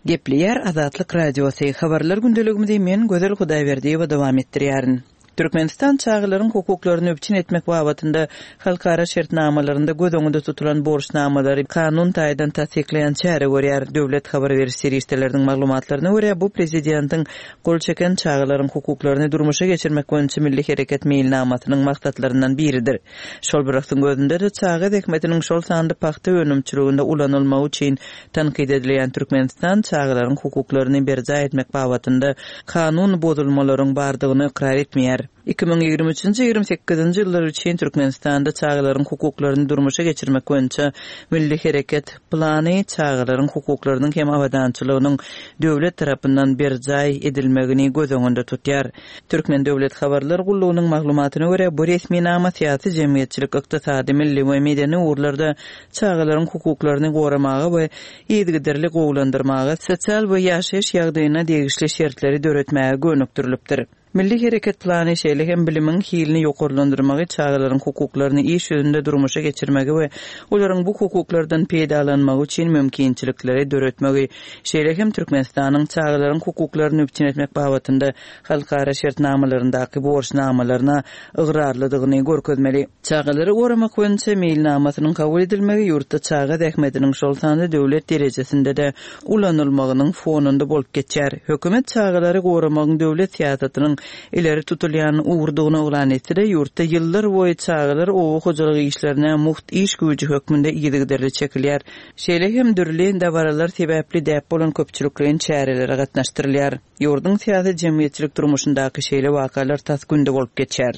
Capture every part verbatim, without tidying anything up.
Gepleýär Azatlyk Radiosy, Habarlar gündeligimizi men Gözel Hudaýberdiýewa dowam etdirýärin. Türkmenistan çagalaryň hukuklaryny üpjün etmek babatynda halkara şertnamalarynda göz öňünde tutulan borçnamalary kanun taýdan tassyklaýan çäre görýär. Döwlet habar beriş serişdeleriniň maglumatlaryna görä, bu prezidentiň gol çeken çagalaryň hukuklaryny durmuşa geçirmek boýunça milli hereket meýilnamasynyň maksatlaryndan biridir. Şol bir wagtyň özünde-de çaga zähmetiniň şol sanda pagta önümçiliginde ulanylmagy üçin tankyt edilýän Türkmenistan çagalaryň hukuklaryny berjaý etmek babatynda kanun bozulmalaryň bardygyny ykrar etmeýär. Iki müň ýigrimi üçünji, ýigrimi sekizinji ýyllar üçin Türkmenistanda çagalaryň hukuklaryny durmuşa geçirmek boýunça milli hereket plany çagalaryň hukuklarynyň hem abadançylygynyň döwlet tarapyndan berjaý edilmegini göz öňünde tutýar. Türkmen döwlet habarlar gullugynyň maglumatyna görä, bu resminama syýasy, jemgyýetçilik, ykdysady, milli we medeni ugurlarda çagalaryň hukuklaryny goramaga we yzygiderli gowulandyrmaga, sosial we ýaşaýyş ýagdaýyna degişli şertleri döretmäge gönükdirilipdir. Milli hereket plany şeýle hem bilimiň hilini ýokarlandyrmagy, çagalaryň hukuklaryny iş ýüzünde durmuşa geçirmegi we olaryň bu hukuklardan peýdalanmagy üçin mümkinçilikleri döretmegi, şeýle hem Türkmenistanyň çagalaryň hukuklaryny üpjün etmek babatynda halkara şertnamalaryndaky borçnamalaryna ygrarlydygyny görkezmeli. Çagalary goramak boýunça meýilnamasynyň kabul edilmegi ýurtda çaga zähmetiniň şol sanda döwlet derejesinde-de ulanylmagynyň fonunda bolup geçýär. Hökümet çagalary goramagyň döwlet syýasatynyň ileri tutulýan ugurdygyny yglan etse-de, ýurtda ýyllar boýy çagalar oba hojalyk işlerine mugt iş güýji hökmünde yzygiderli çekilýär. Şeýle hem dürli dabaralar sebäpli däp bolan köpçülikleýin çärelere gatnaşdyrylýar. Ýurduň syýasy-jemgyýetçilik durmuşyndaky şeýle wakalar tas günde bolup geçýär.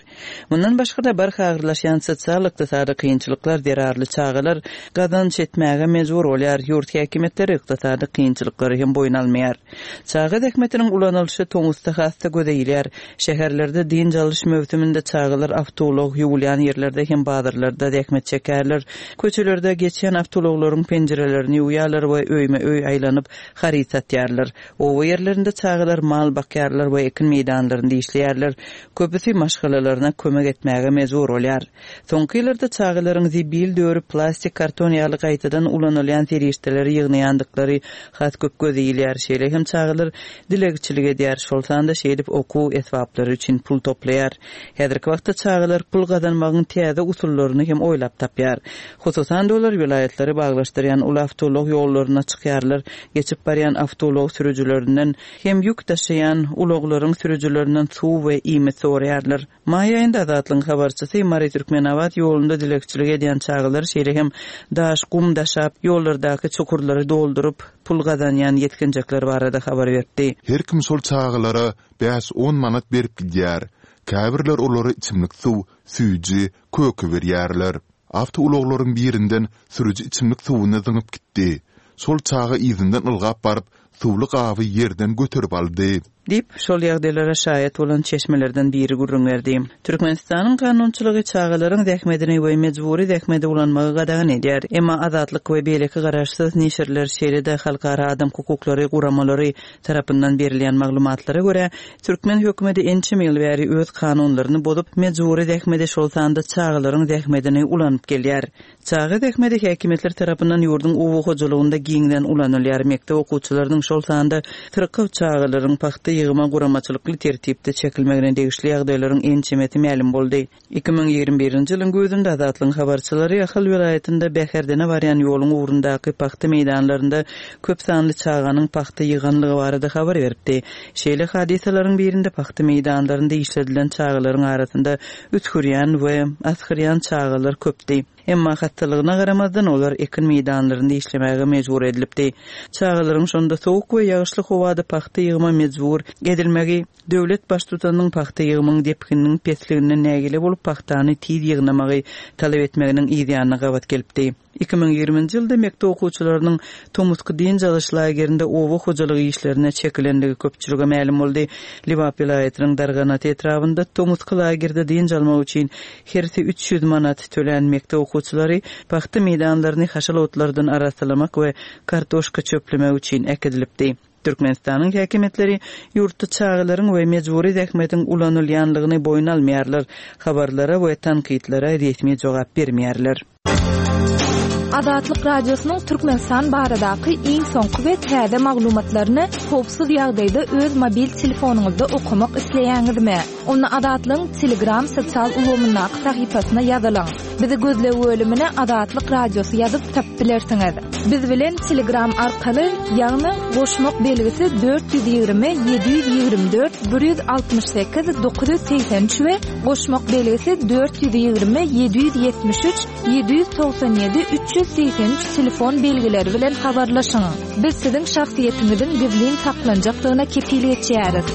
Mundan başga-da barha agyrlaşýan sosial-ykdysady kynçylyklar zerarly çagalar gazanç etmäge mejbur bolýar, ýurt häkimiýetleri ykdysady kynçylyklary hem boýun almaýar. Çaga zähmetiniň ulanylyşy tomusda has-da göze ilýär. Şäherlerde dynç alyş möwsüminde çagalar awtoulag ýuwulýan ýerlerde hem bazarlarda zähmet çekýärler. Köçelerde geçýän awtoulaglaryň penjirelerini ýuwýarlar we öýme-öý aýlanyp haryt satýarlar. Oba ýerlerinde çagalar mal bakýarlar we ekin meýdanlarynda işleýärler. Köpüsi maşgalalaryna kömek etmäge mejbur bolýar. Soňky ýyllarda çagalaryň zibil dörüp, plastik, karton ýaly gaýtadan ulanylýan serişdeleri ýygnaýandyklary has köp göze ilýär. Şeýle hem çagalar dilegçilik edýär, şol sanda şeýdip okuw esbaplary üçin pul toplaýar. Häzirki wagtda çagalar pul gazanmagyň täze usullaryny hem oýlap tapýar. Hususan-da olar welaýatlary baglaşdyrýan uly awtoulag ýollaryna çykýarlar, geçip barýan awtoulag sürüjilerinden hem ýük daşaýan ulaglaryň sürüjilerinden suw we iýmit soraýarlar. Maý aýynda Azatlygyň habarçysy Mary-Türkmenabat ýolunda dilegçilik edýän çagalar, şeýle hem daş, gum daşap, ýollardaky çukurlary dolduryp, pul gazanýan ýetginjekler barada habar beripdi. Her kim şol çagalara bäş-on manat berip gidýär. Käbirler olara içimlik suw, süýji, köke berýärler. Awtoulaglaryň birinden sürüji içimlik suwuny zyňyp gitdi. Şol çaga yzyndan ylgap baryp, suwly gaby ýerden göterip aldy. Diýip, şol ýagdaýlara şaýat bolan çeşmelerden biri gürrüň berdi. Türkmenistanyň kanunçylygy çagalaryň zähmetini we mejbury zähmeti ulanmagy gadagan edýär. Emma Azatlyk we beýleki garaşsyz neşirler, şeýle-de halkara adam hukuklary guramalary tarapyndan berilýän maglumatlara görä, türkmen hökümeti ençeme ýyl bäri öz kanunlaryny bozup, mejbury zähmeti, şol sanda çagalaryň zähmetini ulanyp gelýär. Çaga zähmeti häkimiýetler tarapyndan ýurduň oba hojalygynda giňden ulanylýar. Mekdep okuwçylarynyň, şol sanda syrkaw çagalaryň pagta ýygyma guramaçylykly tertipde çekilmegine degişli ýagdaýlaryň ençemesi mälim boldy. Iki müň ýigrimi birinji ýylyň güýzünde Azatlygyň habarçylary Ahal welaýatynda Bäherdene barýan ýoluň ugrundaky pagta meýdanlarynda köp sanly çaganyň pagta ýyganlygy barada habar beripdi. Şeýle hadysalaryň birinde pagta meýdanlarynda işledilen çagalaryň arasynda üsgürýän we asgyrýan çagalar köpdi. Emma hassalygyna garamazdan olar ekin meýdanlarynda işlemäge mejbur edilipdi. Çagalaryň şonda sowuk we ýagyşly howada pagta ýygyma mejbur edilmegi döwlet baştutanynyň pagta ýygymyň depgininiň pesliginden nägile bolup pagtany tiz ýygnamagy talap etmeginiň yz ýanyna gabat gelipdi. Iki müň ýigriminji ýylda mekdep okuwçylarynyň tomusky dynç alyş lagerinde oba hojalygy işlerine çekilendigi köpçülige mälim boldy. Lebap welaýatynyň Darganata etrabynda tomusky lagerde dynç almak üçin hersi üç ýüz manat tölän mekdep okuwçylary pagta meýdanlaryny haşal otlardan arassalamak we kartoşka çöplemek üçin äkidilipdi. Türkmenistanyň häkimiýetleri ýurtda çagalaryň we mejbury zähmetiň ulanylýanlygyny boýun almaýarlar, habarlara we tankytlara resmi jogap bermeýärler. Azatlyk Radiosynyň Türkmenistan baradaky iň soňky we täze maglumatlaryny howpsuz ýagdaýda öz mobil telefonyňyzda okamak isleýäňizmi? Onda Azatlygyň Telegram sosial ulgamyndaky sahypasyna ýazylyň. Bizi gözleg bölümine Azatlyk Radiosy ýazyp tapyp bilersiňiz. Biz bilen Telegram arkaly, ýagny goşmak belgisi dört ýüz ýigrimi ýedi ýüz ýigrimi dört bir ýüz altmyş sekiz dokuz ýüz segsen üç we goşmak belgisi dört ýüz ýigrimi ýedi ýüz ýetmiş üç ýedi ýüz togsan ýedi üç ýüz segsen üç telefon belgileri bilen habarlaşyň. Biz siziň şahsyýetiňiziň gizlin saklanjakdygyna kepil geçýäris.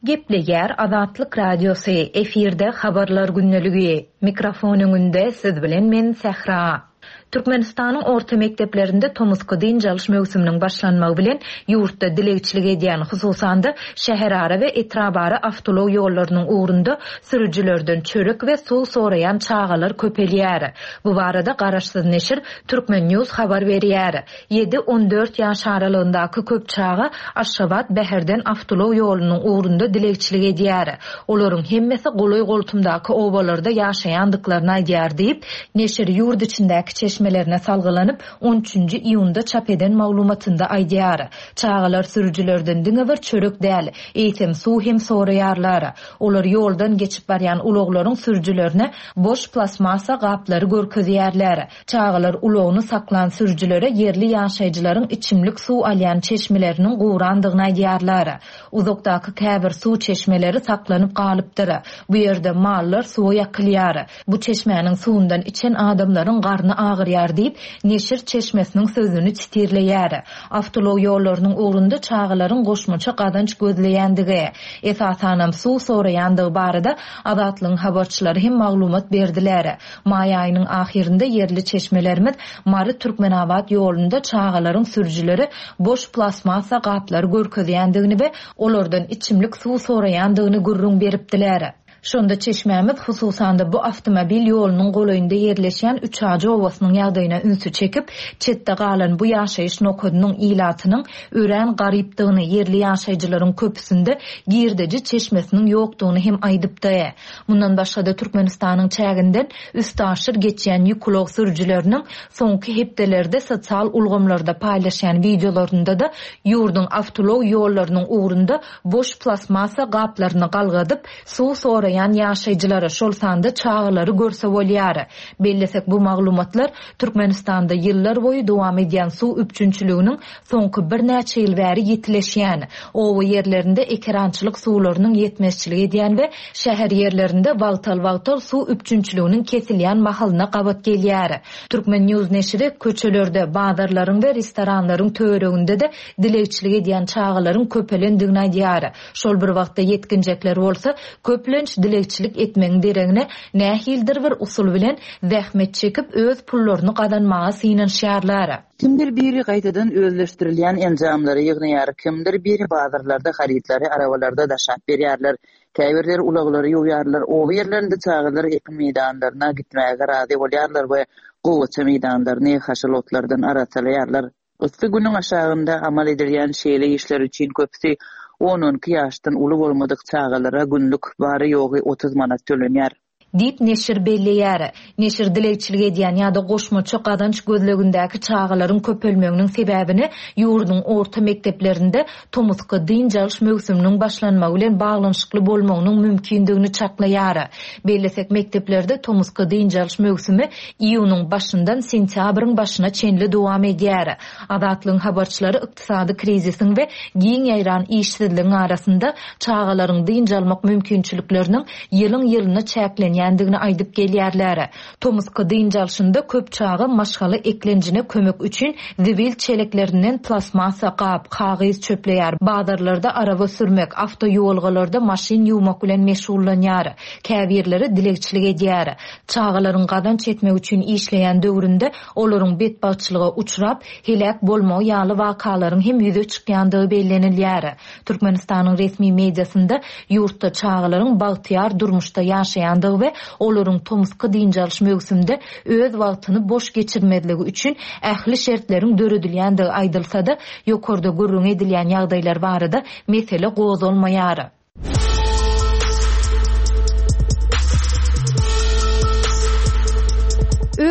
Gepleýär Azatlyk Radiosy, efirde habarlar gündeligi. Mikrofon öňünde siz bilen men Sähra. Türkmenistanyň orta mekdeplerinde tomusky dynç alyş möwsüminiň başlanmagy bilen ýurtda dilegçilik edýän, hususan-da, şäherara we etrabara awtoulag ýollarynyň ugrunda sürüjilerden çörek we suw soraýan çagalar köpelýär. Bu barada garaşsyz neşir Turkmen News habar berýär. Ýedi-on dört ýaş aralygyndaky köp çaga Aşgabat-Bäherden awtoulag ýolunyň ugrunda dilegçilik edýär. Olaryň hemmesi golaý-goltumdaky obalarda ýaşaýandyklaryny aýdýar diýip, neşir ýurt içindäki çeşmelerine salgylanyp, on üçünji iýunda çap eden maglumatynda aýdýar. Çagalar sürüjilerden diňe bir çörek däl, eýsem suw hem soraýarlar. Olar ýoldan geçip barýan ulaglaryň sürüjilerine boş plastmassa gaplary görkezýärler. Çagalar ulagyny saklan sürüjilere ýerli ýaşaýjylaryň içimlik suw alýan çeşmeleriniň gurandygyny aýdýarlar. Uzakdaky käbir suw çeşmeleri saklanyp galypdyr. Bu ýerde mallar suwa ýakylýar. Bu çeşmäniň suwundan içen adamlaryň garny agyrýar diýip, neşir çeşmesiniň sözüni titirleýär. Awtoulag ýollarynyň ugrunda çagalaryň goşmaça gazanç gözleýändigi, esasanam suw soraýandygy barada Azatlygyň habarçylary hem maglumat berdiler. Maý aýynyň ahyrynda ýerli çeşmelerimiz Mary-Türkmenabat ýolunda çagalaryň sürüjileri boş plastmassa gaplary görkezýändigini we olardan içimlik suw soraýandygyny gürrüň beripdiler. Şonda çeşmämiz hususan-da bu awtomobil ýolunyň golaýynda ýerleşýän Üçajy obasynyň ýagdaýyna ünsi çekip, çetde galan bu ýaşaýyş nokadynyň ilatynyň örän garypdygyny, ýerli ýaşaýjylaryň köpüsinde girdeji çeşmesiniň ýokdugyny hem aýdypdy. Mundan başga-da Türkmenistanyň çäginden üstaşyr geçýän ýük ulag sürüjileriniň soňky hepdelerde sosial ulgamlarda paýlaşýan wideolarynda-da ýurduň awtoulag ýollarynyň ugrunda boş plastmassa gaplaryny galgadyp, suw soraýan ýaşaýjylary, şol sanda çagalary görse bolýar. Bellesek, bu maglumatlar Türkmenistanda ýyllar boýy dowam edýän suw üpjünçiliginiň soňky birnäçe ýyl bäri ýetileşýän, oba ýerlerinde ekerançylyk suwlarynyň ýetmezçilik edýän we şäher ýerlerinde wagtal-wagtal suw üpjünçiliginiň kesilýän mahalyna gabat gelýär. Turkmen News neşiri köçelerde, bazarlaryň we restoranlaryň töwereginde-de dilegçilik edýän çagalaryň köpelendigini aýdýar. Şol bir wagtda ýetginjekler bolsa köplenç dilegçilik etmegiň deregine nähildir bir usul bilen zähmet çekip öz pullaryny gazanmaga synanyşýarlar. Kimdir biri gaýtadan özleşdirilýän enjamlary ýygnaýar, kimdir biri bazarlarda harytlary arabalarda daşap berýärler. Käbirleri ulaglary ýuwýarlar, oba ýerlerinde çagalar ekin meýdanlaryna gitmäge razy bolýarlar we gowaça meýdanlaryny haşal otlardan arassalaýarlar. Yssy günüň aşagynda amal edilýän şeýle işler üçin köpüsi on-on iki ýaşdan uly bolmadyk çagalara günlük bary-ýogy otuz manat tölenýär. Diýip, neşir belleýär. Neşir dilegçilik edýän ýa-da goşmaça gazanç gözlegindäki çagalaryň köpelmeginiň sebäbini ýurduň orta mekdeplerinde tomusky dynç alyş möwsüminiň başlanmagy bilen baglanyşykly bolmagynyň mümkindigini çaklaýar. Bellesek, mekdeplerde tomusky dynç alyş möwsümi iýunyň başyndan sentýabryň başyna çenli dowam edýär. Azatlygyň habarçylary ykdysady krizisiň we giň ýaýran işsizligiň arasynda çagalaryň dynç almak mümkinçilikleriniň ýylyň-ýylyna çäklenýändigini aýdyp gelýärler. Tomusky dynç alşynda köp çaga maşgala eklenjine kömek üçin zibil çeleklerinden plastmassa gap, kagyz çöpleýär, bazarlarda araba sürmek, awtoýolgalarda maşyn ýuwmak bilen meşgullanýar. Käbirleri dilegçilik edýär. Çagalaryň gazanç etmek üçin işleýän döwründe olaryň betbagtçylyga uçrap, heläk bolmagy ýaly wakalaryň hem ýüze çykýandygy bellenilýär. Türkmenistanyň resmi mediasynda ýurtda çagalaryň bagtyýar durmuşda ýaşaýandygy we olaryň tomusky dynç alyş möwsümde öz wagtyny boş geçirmezligi üçin ähli şertleriň döredilýändigi aýdylsa-da, ýokarda gürrüň edilýän ýagdaýlar barada mesele gozgalmaýar.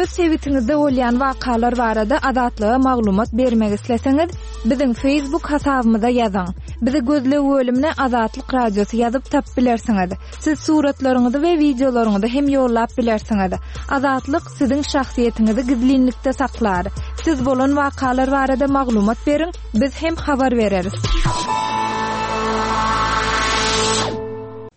Öz sebitiňizde bolýan wakalar barada Azatlyga maglumat bermek isleseňiz, biziň Facebook hasabymyza ýazyň. Bizi gözleg bölümine Azatlyk Radiosy ýazyp tapyp bilersiňiz. Siz suratlaryňyzy we wideolaryňyzy hem ýollap bilersiňiz. Azatlyk siziň şahsyýetiňizi gizlinlikde saklar. Siz bolan wakalar barada maglumat beriň, biz hem habar bereris.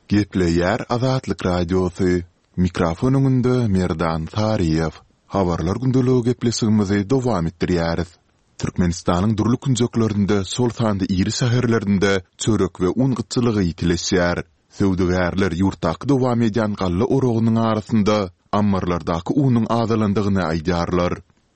Gepleýär Azatlyk Radiosy. Mikrofon öňünde Merdan Saryýew. Habarlar gündeligi gepleşigimizi dowam etdirýäris. Türkmenistanyň dürli künjeklerinde, şol sanda iri şäherlerinde çörek we un gytçylygy ýitileşýär. Söwdagärler ýurtdaky dowam edýän galla oragynyň arasynda ammarlardaky unuň azalandygyny aýdýarlar.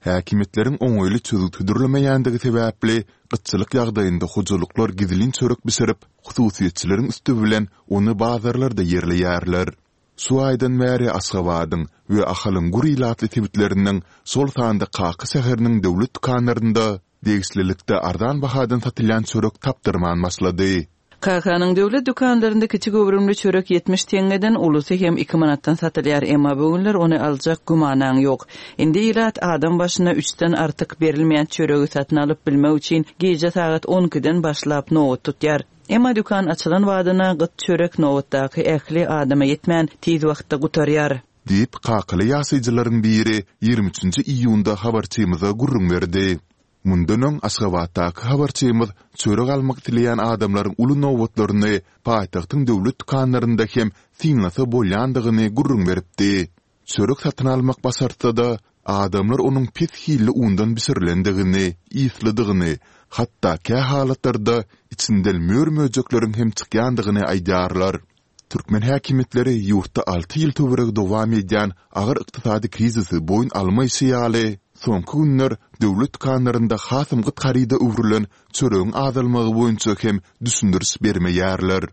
Häkimiýetleriň oňaýly çözgüt hödürlemeýändigi sebäpli, gytçylyk ýagdaýynda hojalyklar gizlin çörek bişirip, hususyýetçileriň üsti bilen ony bazarlarda ýerleýärler. Şu aýdan bäri Aşgabadyň we Ahalyň gür ilatly sebitleriniň, şol sanda Kaka şäheriniň döwlet dükanlarynda degişlilikde arzan bahadan satylýan çörek tapdyrman başlady. Kakanyň döwlet dükanlarynda kiçi göwrümli çörek ýetmiş teňňeden, ulusy hem iki manatdan satylýar, emma bu günler ony aljak gümanaň ýok. Indi ilat adam başyna üçden artyk berilmeýän çöregi satyn alyp bilmek üçin gije sagat on ikiden başlap nobat tutýar. Emma dükan açylan badyna gyt çörek nobatdaky ähli adama ýetmän, tiz wagtda gutarýar. Diýip, kakaly ýaşaýjylaryň biri ýigrimi üçünji iýunda habarçymyza gürrüň berdi. Mundan öň Aşgabatdaky habarçymyz çörek almak isleýän adamlaryň uly nobatlaryny paýtagtyň döwlet dükanlarynda hem synlasa bolýandygyny gürrüň beripdi. Çörek satyn almak başartsa-da, adamlar onuň pes hilli undan bişirilendigini, yslydygyny, hatda kä halatlarda içinden mör-möjekleriň hem çykýandygyny aýdýarlar. Türkmen häkimiýetleri ýurtda alty ýyl töweregi dowam edýän agyr ykdysady krizisi boýun almaýşy ýaly, soňky günler döwlet dükanlarynda hasam gyt haryda öwrülen çöregiň azalmagy boýunça hem düşündiriş bermeýärler.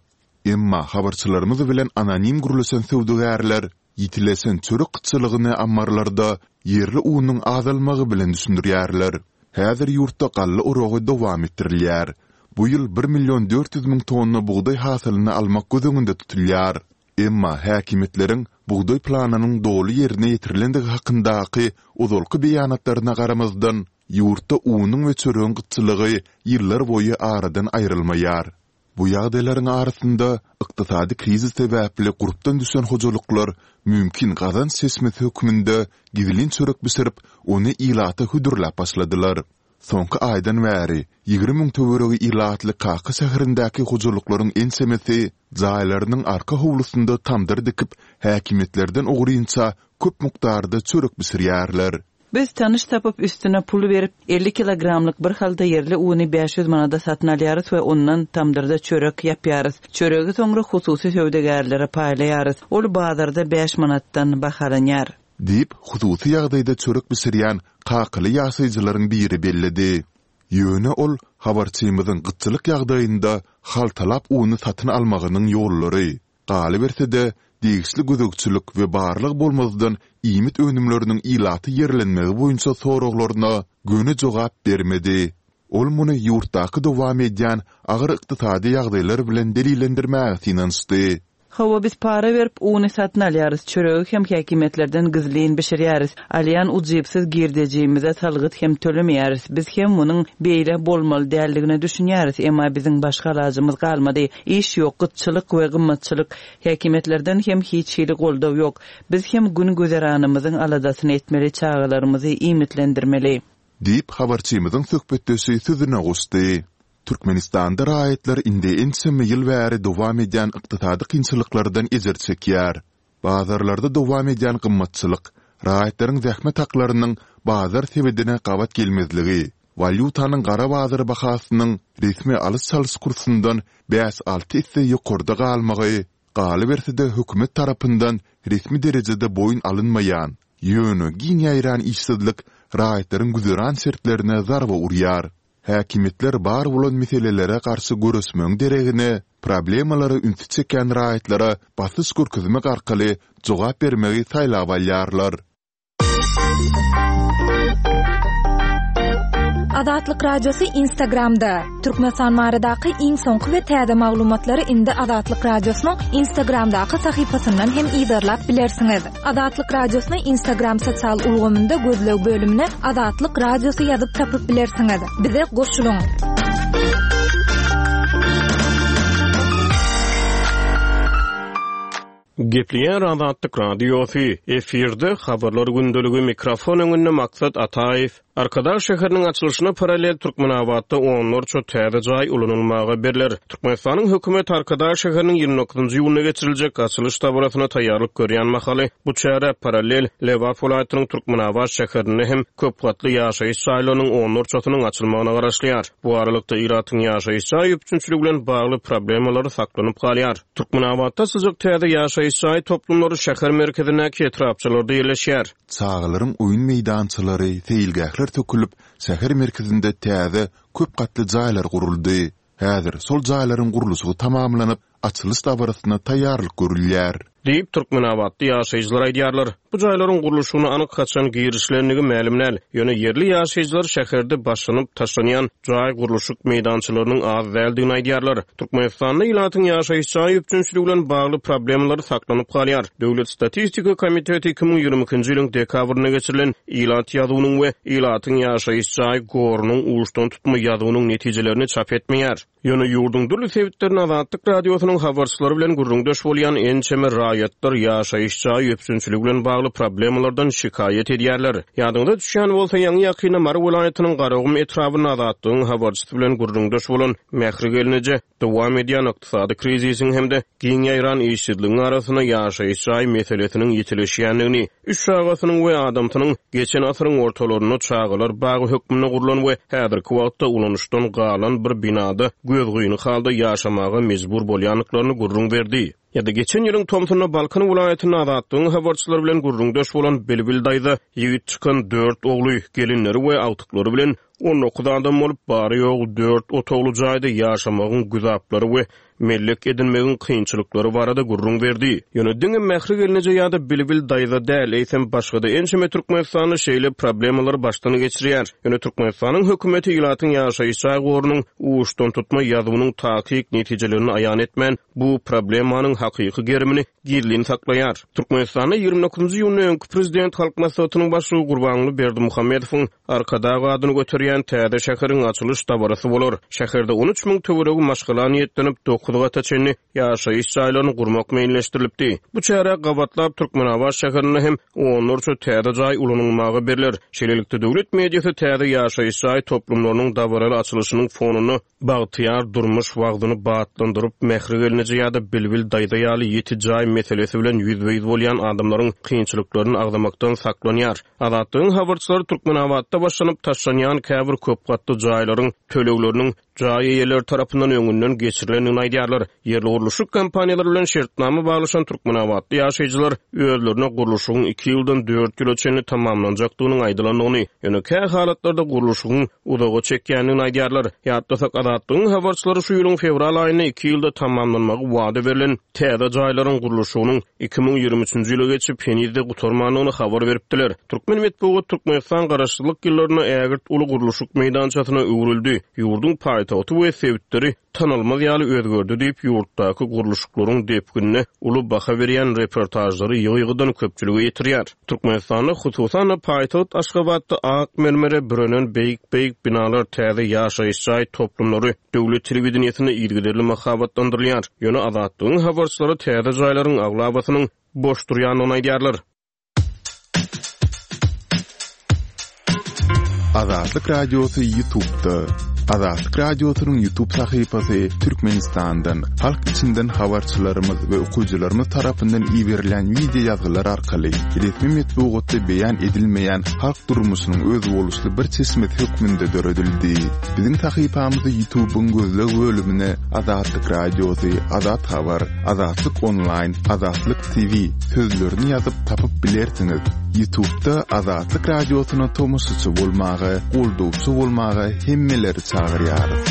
Emma habarçylarymyz bilen anonim gürleşen söwdagärler ýitileşen çörek gytçylygyny ammarlarda ýerli unuň azalmagy bilen düşündirýärler. Häzir ýurtda galla oragy dowam etdirilýär. Bu ýyl bir million dört ýüz müň tonna bugdaý hasylyny almak göz öňünde tutulýar. Emma häkimiýetleriň bugdaý planynyň doly ýerine ýetirilendigi hakyndaky ozalky beýanatlaryna garamazdan, ýurtda unuň we çöregiň gytçylygy ýyllar boýy aradan aýrylmaýar. Bu ýagdaýlaryň arasynda ykdysady krizis sebäpli gurpdan düşen hojalyklar mümkin gazanç çeşmesi hökmünde gizlin çörek bişirip, ony ilata hödürläp başladylar. Soňky aýdan bäri ýigrimi müň töweregi ilatly Kaka şäherindäki hojalyklaryň ençemesi jaýlarynyň arka howlusynda tamdyr dikip, häkimiýetlerden ogrynça köp mukdarda çörek bişirýärler. Biz tanyş tapyp üstüne pul berip, elli kilogramlyk bir halda ýerli uny bäş ýüz manada satyn alýarys we ondan tamdyrda çörek ýapýarys. Çöregi soňra hususy söwdagärlere paýlaýarys. Ol bazarda bäş manatdan bahalanýar. Diýip, hususy ýagdaýda çörek bişirýän kakaly ýaşaýjylaryň biri belledi. Ýöne ol habarçymyzyň gytçylyk ýagdaýynda haltalap uny satyn almagynyň ýollary, galyberse-de, degişli gözegçilik we barlag bolmazdan iýmit önümleriniň ilata ýerlenmegi boýunça soraglaryna göni jogap bermedi. Ol muny ýurtdaky dowam edýän agyr ykdysady ýagdaýlar bilen delillendirmäge synanyşdy. Hawa, biz para berip uny satyn alýarys, çöregi hem häkimiýetlerden gizlin bişirýäris. Alýan ujypsyz girdejimize salgyt hem tölemeýäris. Biz hem munuň beýle bolmaly däldigine düşünýäris, emma biziň başga alajymyz galmady. Iş ýok, gytçylyk we gymmatçylyk. Häkimiýetlerden hem hiç hili goldaw ýok. Biz hem gün güzeranymyzyň aladasyny etmeli, çagalarymyzy iýmitlendirmeli. Diýip, habarçymyzyň söhbetdeşi sözüne goşdy. Türkmenistanda raýatlar indi ençeme ýyl bäri dowam edýän ykdysady kynçylyklardan ejir çekýär. Bazarlarda dowam edýän gymmatçylyk, raýatlaryň zähmet haklarynyň bazar sebedine gabat gelmezligi, walýutanyň gara bazar bahasynyň resmi alyş-çalyş kursundan bäş-alty esse ýokarda galmagy, galyberse-de hökümet tarapyndan resmi derejede boýun alynmaýan, ýöne giň ýaýran işsizlik raýatlaryň güzeran şertlerine zarba urýar. Häkimiýetler bar bolan meselelere garşy göreşmegiň deregine, problemalara ünsi çekýän raýatlara basyş görkezmek arkaly jogap bermegi saýlap alýarlar. Azatlyk Radiosy Instagramda. Türkmenistan baradaky iň soňky we täze maglumatlary indi Azatlyk Radiosynyň Instagramdaky sahypasyndan hem yzarlap bilersiňiz. Azatlyk Radiosyny Instagram sosial ulgamynda gözleg bölümine Azatlyk Radiosy ýazyp tapyp bilersiňiz. Bize goşulyň. Gepleýär Azatlyk Radiosy, efirde habarlar gündeligi mikrofon öňünde Maksat Ataýew. Arkadag şäheriniň açylyşyna parallel Türkmenabatda onlarça täze jaý ulanylmaga berler. Türkmenistanyň hökümet Arkadag şäheriniň ýigrimi dokuzynjy iýunda geçiriljek açylyş dabarasyna taýýarlyk görýän mahaly bu çäre parallel Lebap welaýatynyň Türkmenabat şäherinde hem köp gatly ýaşaýyş jaýlarynyň onlarçasynyň açylmagyna garaşylýar. Bu aralykda ilatyň ýaşaýyş jaý üpjünçiligi bilen bagly problemalary saklanyp galýar. Türkmenabatda açyljak täze ýaşaýyş jaý toplumlary şäher merkezindäki etrapçalarda ýerleşýär. Çagalaryň oýun meýdançalary, seýilgähler sökülip, şäher merkezinde täze köp gatly jaýlar guruldy. Häzir şol jaýlaryň gurluşygy tamamlanyp, açylyş dabarasyna taýýarlyk görülýär. Diýip, Türkmenabatly ýaşaýjylar aýdýarlar. Bu jaýlaryň gurluşygyna anyk haçan girişilendigi mälim däl. Ýöne ýerli ýaşaýjylar şäherde başlanyp taşlanýan jaý gurluşyk meýdançalarynyň az däldigini aýdýarlar. Türkmenistanda ilatyň ýaşaýyş jaý üpjünçiligi bilen bagly problemalar saklanyp galýar. Döwlet statistika komiteti iki müň ýigrimi ikinji ýylyň dekabrynda geçirilen ilat ýazuwynyň we ilatyň ýaşaýyş jaý gorunyň uçdan tutma ýazuwynyň netijelerini çap etmeýär. Ýöne ýurduň dürli sebitlerinde Azatlyk Radiosynyň habarçylary bilen gürrüňdeş bolýan ençeme raýatlar ýaşaýyş jaý üpjünçiligi bilen bagly problemalardan şikaýat edýärler. Ýadyňyza düşýän bolsa, ýaňy ýakynda Mary welaýatynyň Garagum etrabynda Azatlygyň habarçysy bilen gürrüňdeş bolan Mähri gelneje dowam edýän ykdysady krizisiň hem-de giň ýaýran işsizligiň arasynda ýaşaýyş jaý meselesiniň ýitileşýändigini, üç çagasynyň we adamsynyň geçen asyryň ortalarynda çagalar bagy hökmünde gurlan we häzirki wagtda ulanyşdan galan bir binada gözgyny halda ýaşamaga mejbur bolýandyklaryny gürrüň berdi. Ýa-da geçen ýylyň tomsunda Balkan welaýatynda Azatlygyň habarçylary bilen gürrüňdeş bolan Bilbil daýza ýigit çykan dört ogly, gelinleri we agtyklary bilen on dokuz adam bolup, bary ýogy dört otagly jaýda ýaşamagyň güzaplary we mellek edinmegiň kynçylyklary barada gürrüň berdi. Ýöne diňe Mähri gelneje ýa-da Bilbil daýza däl, eýsem başga-da ençeme Türkmenistanda şeýle problemalary başdan geçirýär. Ýöne Türkmenistanyň hökümeti ilatyň ýaşaýyş jaý gorunyň uçdan tutma ýazuwynyň takyk netijelerini aýan etmän, bu problemanyň hakyky gerimini gizlin saklaýar. Türkmenistanda ýigrimi dokuzynjy iýunda öňki prezident Halk Maslahatynyň başlygy Gurbanguly Berdimuhamedowyň Arkadag adyny göterýän täze şäheriň açylyş dabarasy bolar. Şäherde on üç müň töweregi maşgala niýetlenip dokuz gata çenli ýaşaýyş jaýlaryny gurmak meýilleşdirilipdi. Bu çäre gabatlap Türkmenabat şäherinde hem onlarça täze jaý ulanylmaga berler. Şeýlelikde döwlet mediasy täze ýaşaýyş jaý toplumlarynyň dabaraly açylyşynyň fonunda bagtyýar durmuş wagtyny batlandyryp, Mähri gelneje ýa-da Bilbil daýza ýaly ýeti jaý meselesi bilen ýüzbe-ýüz bolýan adamlaryň kynçylyklaryny agzamakdan saklanýar. Azatlygyň habarçylary Türkmenabatda başlanyp taşlanýan käbir köp gatly jaýlaryň tölegleriniň jaý eýeleri tarapyndan öňünden geçirilendigini aýdýarlar. Ýerli gurluşyk kompaniýalary bilen şertnama baglaşan Türkmenabatly ýaşaýjylar özlerine gurluşygyň iki ýyldan dört ýyla çenli tamamlanjakdygynyň aýdylandygyny, ýöne kä halatlarda gurluşygyň uzaga çekýändigini aýdýarlar. Ýatlasak, Azatlygyň habarçylary şu ýylyň fewral aýynda iki ýylda tamamlanmagy wada berlen täze jaýlaryň gurluşygynyň iki müň ýigrimi üçünji ýyla geçip henizde gutarmandygyny habar beripdiler. Türkmen metbugat Türkmenistan garaşsyzlyk ýyllarynda ägirt uly gurluşyk meýdançasyna öwrüldi. Ýurduň paýtagty we sebitleri tanalmaz ýaly özgerdi diýip, ýurtdaky gurluşyklaryň depginine uly baha berýän reportajlary ýygy-ýygydan köpçülige ýetirýär. Türkmenistanda hususan-da paýtagt Aşgabatda ak mermere bürenen beýik-beýik binalar, täze ýaşaýyş jaý toplumlary döwlet telewideniýesinde yzygiderli mahabatlandyrylýar. Ýöne Azatlygyň habarçylary täze jaýlaryň aglabasynyň boş durýandygyny aýdýarlar. Azatlyk Radiosy YouTube'da. Azatlyk Radiosynyň YouTube sahypasy Türkmenistandan, halk içinden habarçylarymyz we okyjylarymyz tarapyndan iberilen video ýazgylar arkaly resmi metbugatda beýan edilmeýän halk durmuşynyň özboluşly bir çeşmesi hökmünde döredildi. Biziň sahypamyzy YouTube'yň gözleg bölümine Azatlyk Radiosy, Azat Habar, Azatlyk Online, Azatlyk T V sözlerini ýazyp tapyp bilersiňiz. YouTube'da Azatlyk Radiosyna tomaşaçy bolmaga, goldawçy bolmaga hemmeleri çagyrýarys.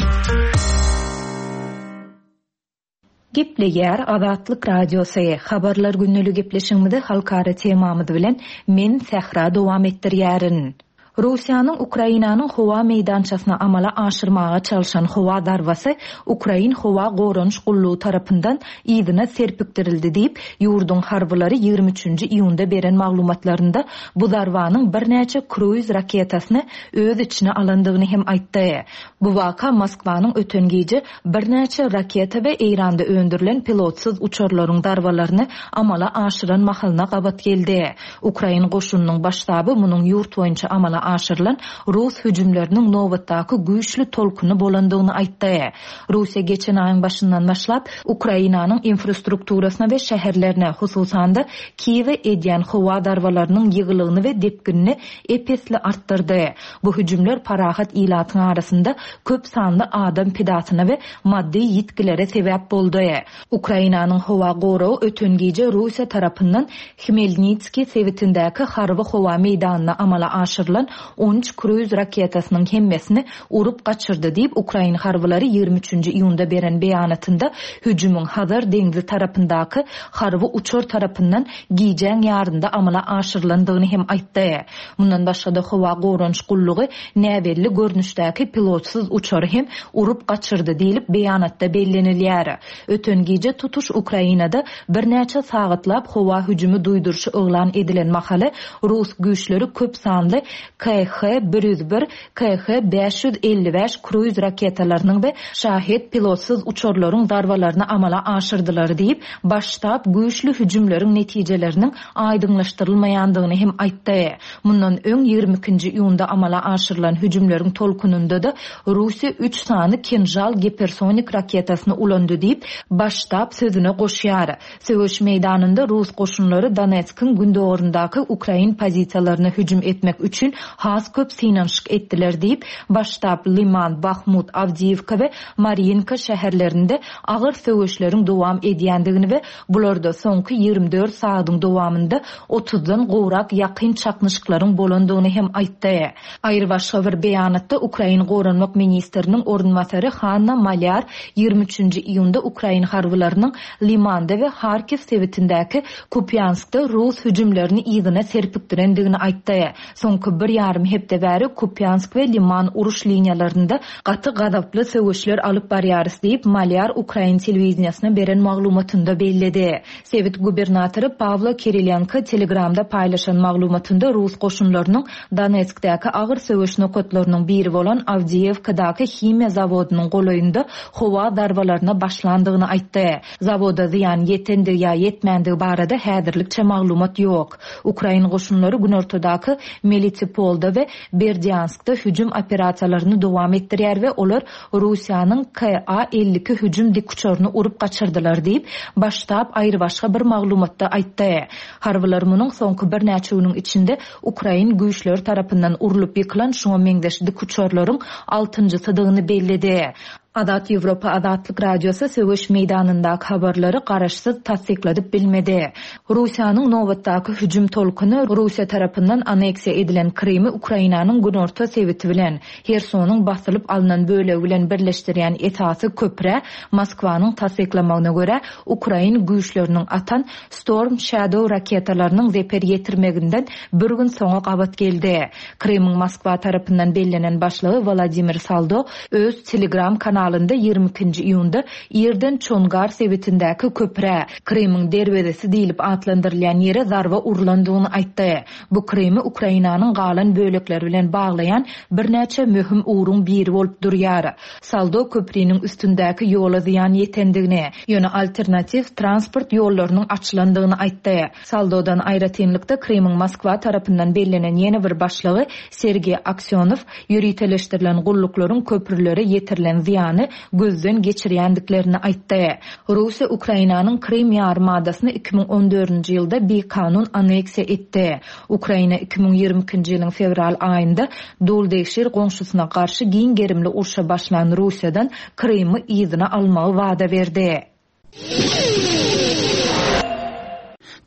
Gepleýär Azatlyk Radiosy. Habarlar günlük gepleşigimizi halkara temamyz bilen men Sähra dowam etdirýärin. Russiýanyň Ukrainanyň howa meýdançasyna amala aşyrmaga çalşan howa zarbasy Ukrain howa goranyş gullugy tarapyndan yzyna serpikdirildi diýip, ýurduň harbylary ýigrimi üçünji iýunda beren maglumatlarynda bu zarbanyň birnäçe kruiz raketasyny öz içine alandygyny hem aýtdy. Bu waka Moskwanyň öten gije birnäçe raketa we Eýranda öndürilen pilotsyz uçarlaryň zarbalaryny amala aşyran mahalyna gabat geldi. Ukrain goşunynyň baş ştaby munuň ýurt boýunça amala aşyrylan rus hüjümleriniň nobatdaky güýçli tolkuny bolandygyny aýtdy. Russiýa geçen aýyň başyndan başlap Ukrainanyň infrastrukturasyna we şäherlerine, hususan-da Kiýewe edýän howa zarbalarynyň ýygylygyny we depginini ep-esli artdyrdy. Bu hüjümler parahat ilatyň arasynda köp sanly adam pidasyna we maddy ýitgilere sebäp boldy. Ukrainanyň howa goragy öten gije Russiýa tarapyndan Hmelnitskiý sebitindäki harby howa meýdanyna amala aşyrylan on üç kruiz raketasynyň hemmesini urup gaçyrdy diýip, ukrain harbylary ýigrimi üçünji iýunda beren beýanatynda hüjümiň Hazar deňzi tarapyndaky harby uçar tarapyndan gijäň ýarynda amala aşyrylandygyny hem aýtdy. Mundan başga-da howa goranyş gullugy näbelli görnüşdäki pilotsyz uçary hem urup gaçyrdy diýlip beýanatda bellenilýär. Öten gije tutuş Ukrainada birnäçe sagatlap howa hüjümi duýduryşy yglan edilen mahaly rus güýçleri köp sanly K H bir ýüz bir, K H bäş ýüz elli bäş kruiz raketalarynyň we Şahed pilotsyz uçarlaryň zarbalaryny amala aşyrdylar diýip, baş ştab güýçli hüjümleriň netijeleriniň aýdyňlaşdyrylmaýandygyny hem aýtdy. Mundan öň ýigrimi ikinji iýunda amala aşyrylan hüjümleriň tolkunynda-da Russiýa üç sany Kinžal gipersonik raketasyny ulandy diýip, baş ştab sözüne goşýar. Söweş meýdanynda rus goşunlary Donetskiň gündogaryndaky ukrain pozisiýalaryna hüjüm etmek üçin has köp synanyşyk etdiler diýip, baş ştab Liman, Bahmut, Awdiýewka we Mariinka şäherlerinde agyr söweşleriň dowam edýändigini we bularda soňky ýigrimi dört sagadyň dowamynda otuzdan gowrak ýakyn çaknyşyklaryň bolandygyny hem aýtdy. Aýry başga bir beýanatda Ukrain goranmak ministriniň orunbasary Hanna Malýar ýigrimi üçünji iýunda ukrain harbylarynyň Limanda we Harkiw sebitindäki Kupýanskda rus hüjümlerini yzyna serpikdirendigini aýtdy. Soňky bir ýarym hepde bäri Kupýansk we Liman uruş liniýalarynda gaty gazaply söweşler alyp barýarys diýip, Malýar ukrain telewideniýasyna beren maglumatynda belledi. Sebit gubernatory Pawlo Kirilenko Telegramda paýlaşan maglumatynda rus goşunlarynyň Donetskdäki agyr söweş nokatlarynyň biri bolan Awdiýewkadaky himiýa zawodynyň golaýynda howa zarbalaryna başlandygyny aýtdy. Zawoda zyýan ýetendigi ýa ýetmändigi barada häzirlikçe maglumat ýok. Ukrain goşunlary günortadaky Melitopolda we Berdianskda hüjüm operasiýalaryny dowam etdirýär we olar Russiýanyň K A elli iki hüjüm dikuçaryny urup gaçyrdylar diýip, baş ştab aýry başga bir maglumatda aýtdy. Harbylar munuň soňky birnäçe günüň içinde ukrain güýçleri tarapyndan urulyp ýykylan şoňa meňzeş dikuçarlaryň altynjysydygyny belledi. Azat Ýewropa Azatlyk Radiosy söweş meýdanyndaky habarlary garaşsyz tassykladyp bilmedi. Russiýanyň nobatdaky hüjüm tolkuny Russiýa tarapyndan aneksiýa edilen Krymy Ukrainanyň günorta sebiti bilen, Hersonyň basylyp alnan bölegi bilen birleşdirýän esasy köprä Moskwanyň tassyklamagyna görä ukrain güýçleriniň atan Storm Shadow raketalarynyň zeper ýetirmeginden bir gün soňa gabat geldi. Krymyň Moskwa tarapyndan bellenen başlygy Wladimir Saldo öz Telegram kanalynda ýigrimi ikinji iýunda irden Çongar sebitindäki köprä, Krymyň derwezesi diýlip atlandyrylýan ýere zarba urlandygyny aýtdy. Bu Krymy Ukrainanyň galan bölekleri bilen baglaýan birnäçe möhüm ugruň biri bolup durýar. Saldo köpriniň üstündäki ýola zyýan ýetendigini, ýöne alternatiw transport ýollarynyň açylandygyny aýtdy. Saldodan aýratynlykda Krymyň Moskwa tarapyndan bellenen ýene bir başlygy Sergey Aksyonow ýöriteleşdirilen gulluklaryň köprülere ýetirilen zyýany gözden geçirýändiklerini aýtdy. Russiýa Ukrainanyň Krym ýarymadasyny iki müň on dördünji ýylda bikanun aneksiýa etdi. Ukraina iki müň ýigrimi ikinji ýylyň fewral aýynda Duldegşir goňşusyna garşy giň gerimli urşa başlan Russiýadan Krymy yzyna almagy wada berdi.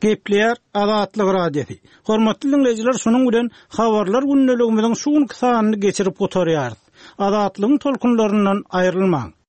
Gepleýär Azatlyk Radiosy. Hormatly dinleýjiler, şunuň bilen habarlar gündeligimiziň şu günki sanyny geçirip gutarýarys. Azatlygyň tolkunlaryndan aýrylmaň.